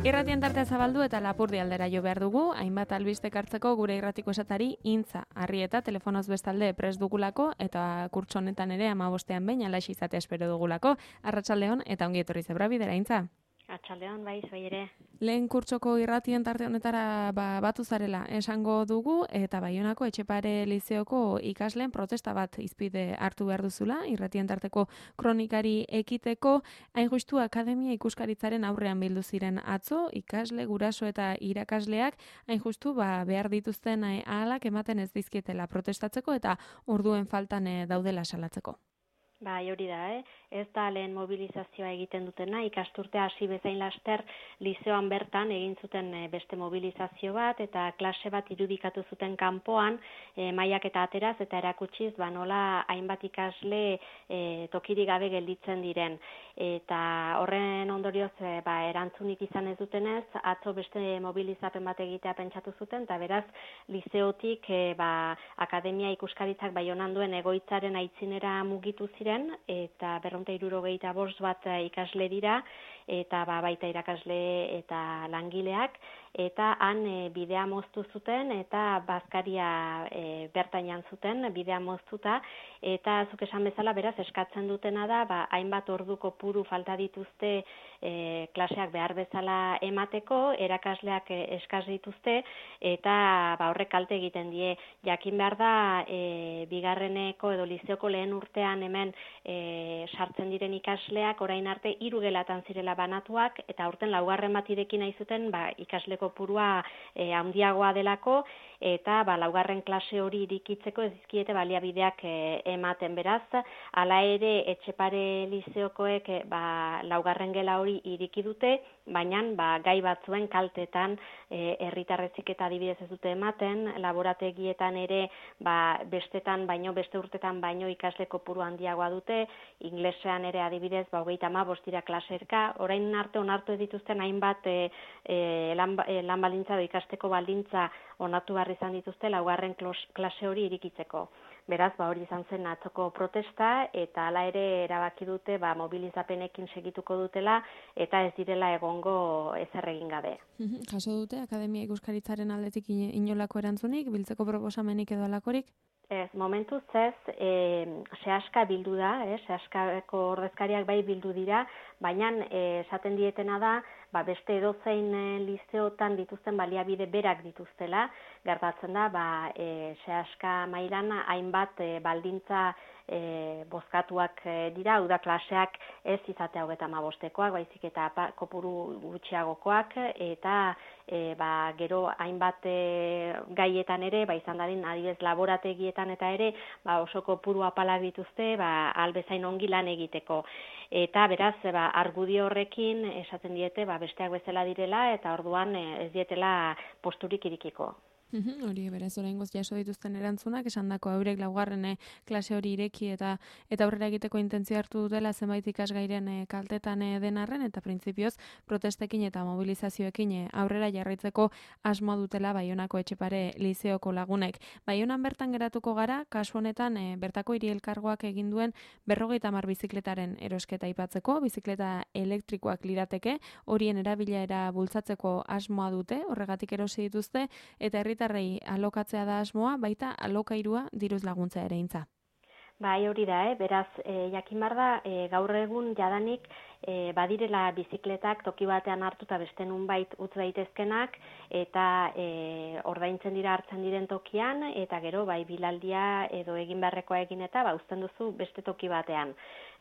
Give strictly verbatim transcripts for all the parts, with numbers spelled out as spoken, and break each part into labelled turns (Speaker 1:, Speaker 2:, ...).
Speaker 1: Irratien tartea zabaldu eta Lapurdi aldera jo behar dugu, hainbat albistek hartzeko gure irratiko esatari intza. Arrieta telefonoz bestalde prest dugulako eta kurtso honetan ere hamabostean behin alax izatea espero dugulako. Arratsaldeon eta ongi etorri zebra bidera intza.
Speaker 2: Arratsaldeon bai, zoi ere.
Speaker 1: Lehen kurtsoko irratien tarte honetara ba, batu zarela esango dugu eta Baionako Etxepare Lizeoko ikasleen protesta bat izpide hartu behar duzula, irratien tarteko kronikari ekiteko, hain justu akademia ikuskaritzaren aurrean bildu ziren atzo, ikasle, guraso eta irakasleak hain justu ba, behar dituzten ahalak ematen ez dizkietela protestatzeko eta orduen faltan eh, daudela salatzeko.
Speaker 2: Bai, hori da, eh? Ez da lehen mobilizazioa egiten dutena, ikasturtea hasi bezain laster lizeoan bertan egin zuten beste mobilizazio bat eta klase bat irudikatu zuten kanpoan e, mailak eta ateraz eta erakutsiz ba nola hainbat ikasle e, tokirik gabe gelditzen diren. Eta horren ondorioz e, ba, erantzunik izan ez dutenez, atzo beste mobilizapen bat egitea pentsatu zuten eta beraz lizeotik e, ba, akademia ikuskaritzak Baionan duen egoitzaren aitzinera mugitu ziren eta berrehun eta hirurogeita bost bat ikasle dira eta ba, baita irakasle eta langileak eta han e, bidea moztu zuten eta bazkaria e, bertan jan zuten bidea moztuta eta zuk esan bezala beraz eskatzen dutena da ba, hainbat ordu kopuru falta dituzte e, klaseak behar bezala emateko, erakasleak e, eskas dituzte eta ba, horrek kalte egiten die. Jakin behar da e, bigarreneko edo lizeoko lehen urtean hemen e, sartzen diren ikasleak orain arte hiru gelatan zirela banatuak eta aurten laugarren bat ireki nahi zuten ba, ikasle kopurua e, handiagoa delako eta ba, laugarren klase hori irikitzeko ez dizkiete baliabideak e, ematen beraz, hala ere Etxepare Lizeokoek e, ba, laugarren gela hori iriki dute, baina ba, gai batzuen kaltetan e, herritarrezik eta adibidez ez dute ematen, laborategietan ere ba, bestetan baino, beste urtetan baino ikasle kopuru handiagoa dute, inglesean ere adibidez ba, hogeita hamabost dira klaserka, orain arte onartu ez dituzten hainbat e, e, lan, e, lan baldintza edo ikasteko baldintza onartu behar izan dituzte laugarren klase hori irikitzeko. Beraz, ba, hori izan zen atzoko protesta eta hala ere erabaki dute ba, mobilizapenekin segituko dutela eta ez direla egongo ezer egin gabe.
Speaker 1: Jaso dute Akademia Ikuskaritzaren aldetik inolako erantzunik, biltzeko proposamenik edo alakorik?
Speaker 2: Ez, momentuz ez, e, sehaska bildu da, eh, sehaskako ordezkariak bai bildu dira, baina esaten dietena da, ba, beste edozein e, lizeotan dituzten baliabide berak dituztela, gertatzen da, ba, e, sehaska mailan hainbat e, baldintza e, bozkatuak e, dira, hau da klaseak ez izatea hogeita hamabostekoak, baizik eta kopuru gutxiagokoak, eta e, ba, gero hainbat e, gaietan ere, ba, izan dadin, adibidez laborategietan eta ere ba, oso kopuru apalak dituzte ba, albezain ongi lan egiteko. Eta beraz, ba, argudio horrekin esaten diete ba, besteak bezala direla eta orduan ez dietela posturik irikiko.
Speaker 1: Hori beraz oraingoz jaso dituzten erantzunak esandako eurek laugarren klase hori ireki eta eta aurrera egiteko intentzio hartu dutela zenbait ikasgairen kaltetan den arren eta printzipioz protestekin eta mobilizazioekin aurrera jarraitzeko asmoa dutela Baionako Etxepare Lizeoko lagunek. Baionan bertan geratuko gara, kasu honetan e, bertako hiri elkargoak egin duen berrogeita hamar bizikletaren erosketa aipatzeko, bizikleta elektrikoak lirateke, horien erabilera bultzatzeko asmoa dute, horregatik erosi dituzte eta herritar herritarrei alokatzea da asmoa, baita alokairua diruz laguntza ere intza.
Speaker 2: Bai, hori da, eh? Beraz, e, jakin bar da, e, gaur egun jadanik e, badirela bizikletak toki batean hartuta beste nunbait utz daitezkenak eta e, ordaintzen dira hartzen diren tokian eta gero bai bilaldia edo egin beharrekoa egin eta ba uzten duzu beste toki batean.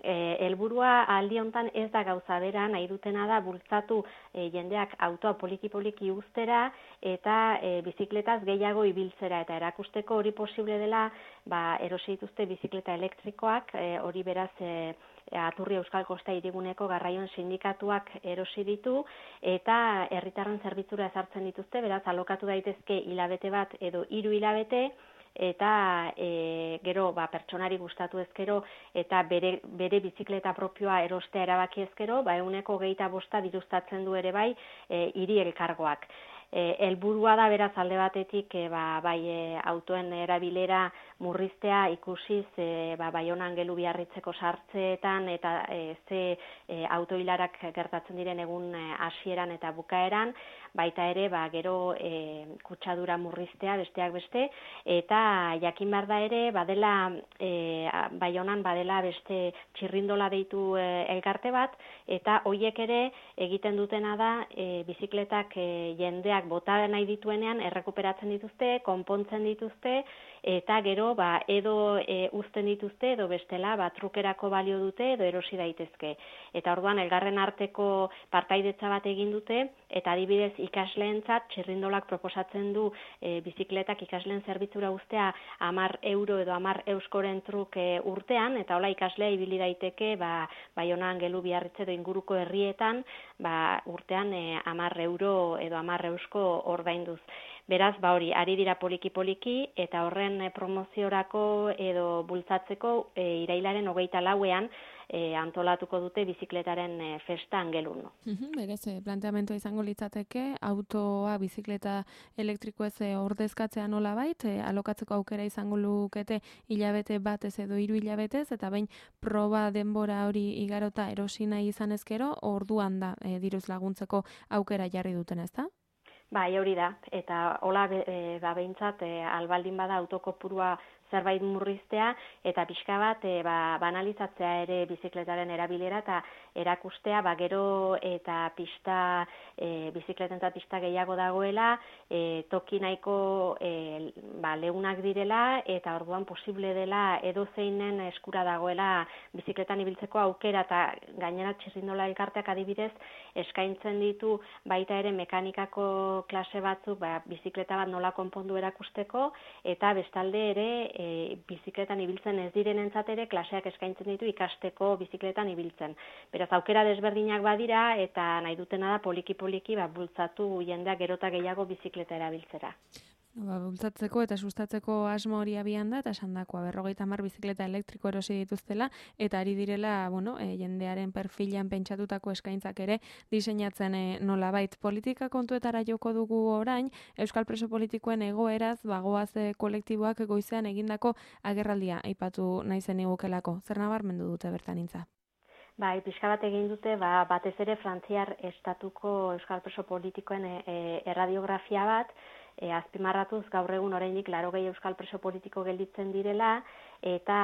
Speaker 2: E, helburua aldi hontan ez da gauza bera, nahi dutena da bultzatu e, jendeak autoa poliki-poliki uztera eta e, bizikletaz gehiago ibiltzera eta erakusteko hori posible dela ba, erosi dituzte bizikleta elektrikoak, e, hori beraz e, Aturri Euskal Kosta Hiriguneko garraioen sindikatuak erosi ditu eta herritarren zerbitzura ezartzen dituzte, beraz alokatu daitezke hilabete bat edo hiru hilabete eta e, gero ba, pertsonari gustatu ezkero eta bere, bere bizikleta propioa erostea erabaki ezkero, ba, ehuneko hogeita bosta diruztatzen du ere bai e, hiri elkargoak. helburua da beraz alde batetik e, ba, bai e, autoen erabilera murriztea ikusiz e, ba, Baionan Gelu Biarritzeko sartzeetan eta e, ze e, autoilarak gertatzen diren egun e, hasieran eta bukaeran, baita ere ba, gero e, kutsadura murriztea besteak beste, eta jakin behar da ere badela e, Baionan badela beste txirrindola deitu e, elkarte bat, eta hoiek ere egiten dutena da e, bizikletak e, jendeak bota nahi dituenean errekuperatzen dituzte, konpontzen dituzte, eta gero ba, edo e, uzten dituzte edo bestela ba, trukerako balio dute edo erosi daitezke. Eta orduan elgarren arteko partaidetza bat egin dute, eta adibidez ikasleentzat txirrindolak proposatzen du e, bizikletak ikasleen zerbitzura uztea hamar euro edo hamar euskoren truk e, urtean, eta hola ikaslea ibili daiteke ba, Baionan Gelu Biarritze edo inguruko herrietan ba, urtean e, hamar euro edo hamar eusko ordainduz. Beraz, ba hori, ari dira poliki-poliki, eta horren e, promoziorako edo bultzatzeko e, irailaren hogeita lauean e, antolatuko dute bizikletaren e, festa Angelun.
Speaker 1: Berez, planteamentua izango litzateke, autoa, bizikleta elektrikoez e, ordezkatzea nola bait, e, alokatzeko aukera izango lukete hilabete batez edo hiru hilabetez, eta behin proba denbora hori igarota erosi nahi izan ezkero, orduan da e, diruz laguntzeko aukera jarri duten, ezta?
Speaker 2: Bai, hori da, eta hola e, ba, behintzat e, albaldin bada autokopurua zerbait murriztea, eta pixka bat e, ba, banalizatzea ere bizikletaren erabilera, eta erakustea ba, gero eta pista, e, bizikleten eta pista gehiago dagoela, e, toki nahiko e, ba, leunak direla, eta orduan posible dela edozeinen eskura dagoela bizikletan ibiltzeko aukera, eta gainera txirrindola elkarteak adibidez eskaintzen ditu baita ere mekanikako klase batzuk ba, bizikleta bat nola konpondu erakusteko, eta bestalde ere e, bizikletan ibiltzen ez direnentzat ere klaseak eskaintzen ditu ikasteko bizikletan ibiltzen. Beraz, aukera desberdinak badira, eta nahi dutena da poliki-poliki ba, bultzatu jendeak gerota gehiago bizikleta erabiltzera.
Speaker 1: Ba, bultzatzeko eta sustatzeko asmo hori abian da, eta esandakoa berrogeita hamar bizikleta elektriko erosi dituztela, eta ari direla, bueno, e, jendearen perfilan pentsatutako eskaintzak ere diseinatzen e, nolabait. Politika kontuetara joko dugu orain, Euskal Preso Politikoen egoeraz, bagoaz e, kolektiboak goizean egindako agerraldia aipatu nahi zen igukelako. Zer nabarmendu dute bertanintza?
Speaker 2: Bai, pixka bat egin dute, ba, batez ere Frantziar estatuko Euskal Preso Politikoen e, e, erradiografia bat, E, azpimarratuz gaur egun oraindik laurogei euskal preso politiko gelditzen direla, eta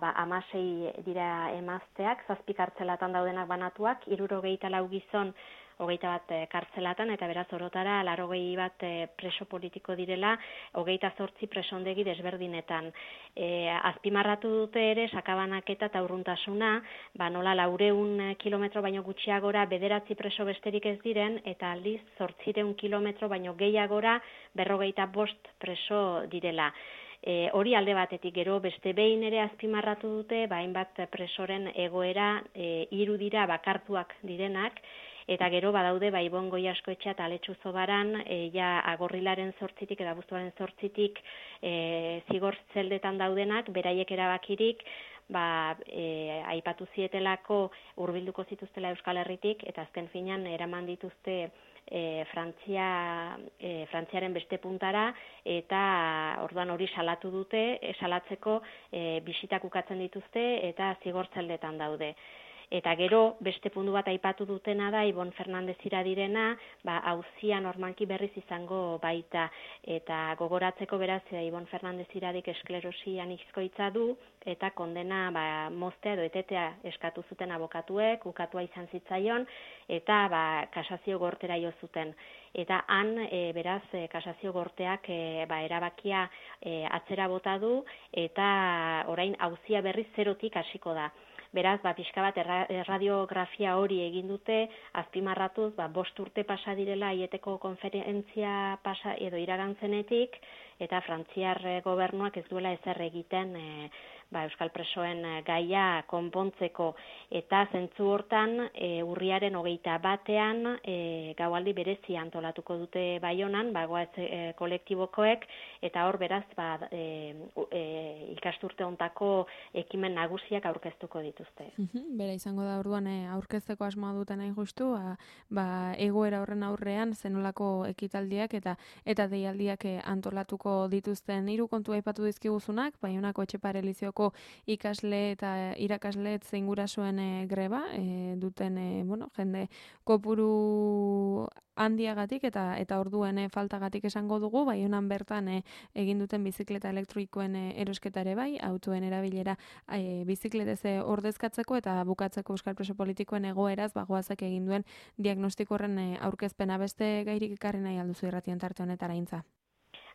Speaker 2: ba, hamasei dira emazteak, zazpi kartzelatan daudenak banatuak, hirurogeita lau gizon, hogeita bat e, kartzelatan, eta beraz orotara laurogei bat e, preso politiko direla, hogeita zortzi presondegi desberdinetan. E, azpimarratu dute ere, sakabanaketa eta urruntasuna, ba, nola laureun kilometro baino gutxiagora bederatzi preso besterik ez diren, eta aldiz zortzireun kilometro baino gehiagora berrogeita bost preso direla. E, hori alde batetik, gero beste behin ere azpimarratu dute, ba, hainbat presoren egoera e, hiru dira bakartuak direnak, eta gero badaude ba Ibon Goiaskoetxea eta Aletxu Zobaran, e, ja agorrilaren zortzitik eta abuztuaren zortzitik e, zigor zeldetan daudenak, beraiek erabakirik, ba, e, aipatu zietelako hurbilduko zituztela Euskal Herritik, eta azken finean eraman dituzte E, Frantzia, e, Frantziaren beste puntara, eta orduan hori salatu dute, e, salatzeko e, bisitak ukatzen dituzte, eta zigortzeldetan daude. Eta gero, beste puntu bat aipatu dutena da, Ibon Fernandez iradirena, ba, auzia normalki berriz izango baita. Eta gogoratzeko beraz, Ibon Fernandez iradik esklerosi anizkoitza du, eta kondena ba, moztea edo etetea eskatu zuten abokatuek, ukatua izan zitzaion, eta ba, kasazio gortera jo zuten. Eta han, e, beraz, e, kasazio gorteak e, ba, erabakia e, atzera bota du, eta orain auzia berriz zerotik hasiko da. Beraz, ba, pixka bat erradiografia hori egin dute, azpimarratuz, ba, bost urte pasa direla aieteko konferentzia pasa edo iragantzenetik, eta Frantziar gobernuak ez duela ezer egiten e, ba, Euskal Presoen gaia konpontzeko, eta zentzu hortan e, urriaren hogeita batean e, gaualdi berezia antolatuko dute Baionan, ba, goaz e, kolektibokoek, eta hor beraz ba, e, e, ikasturte hontako ekimen nagusiak aurkeztuko dituzte.
Speaker 1: Bera izango da orduan e, aurkezteko asmoa duten hain justu, ba, ba, egoera horren aurrean zenolako ekitaldiak eta eta deialdiak e, antolatuko dituzten. Hiru kontu aipatu dizkiguzunak, Baionako Etxepare Lizeoko ikasle eta irakasle zein gurasoen e, greba e, duten e, bueno, jende kopuru handiagatik eta eta orduen e, faltagatik esango dugu, Baionan bertan e, egin duten bizikleta elektrikoen e, erosketa ere bai, autoen erabilera e, bizikletez e, ordezkatzeko eta bukatzeko Euskal Preso politikoen egoeraz bagoazak egin duen diagnostiko horren e, aurkezpena. Beste gairik ekarri nahi alduzu irratien tarte honetara intza?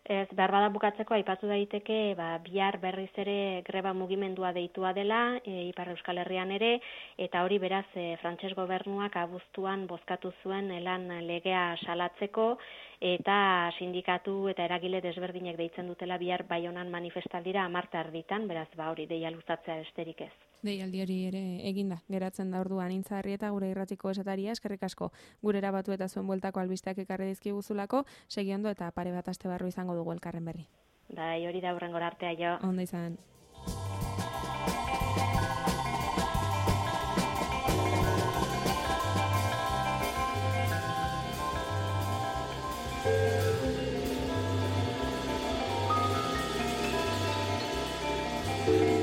Speaker 2: Ez, behar bada bukatzeko aipatu daiteke, ba, bihar berriz ere greba mugimendua deitua dela, e, Ipar Euskal Herrian ere, eta hori beraz e, frantses gobernuak abuztuan bozkatu zuen lan legea salatzeko, eta sindikatu eta eragile desberdinek deitzen dutela bihar Baionan manifestaldira hamar erditan, beraz ba hori deia luzatzea besterik ez.
Speaker 1: Deialdi hori ere eginda, geratzen da orduan Intza Arrieta gure irratiko esataria, eskerrik asko gurera batu eta zuen bueltako albisteak ekarri dizkiguzulako, segi ondo eta pare bat aste barru izango dugu elkarren berri.
Speaker 2: Bai, hori da hurrengora artea jo.
Speaker 1: Ondo izan. Thank you.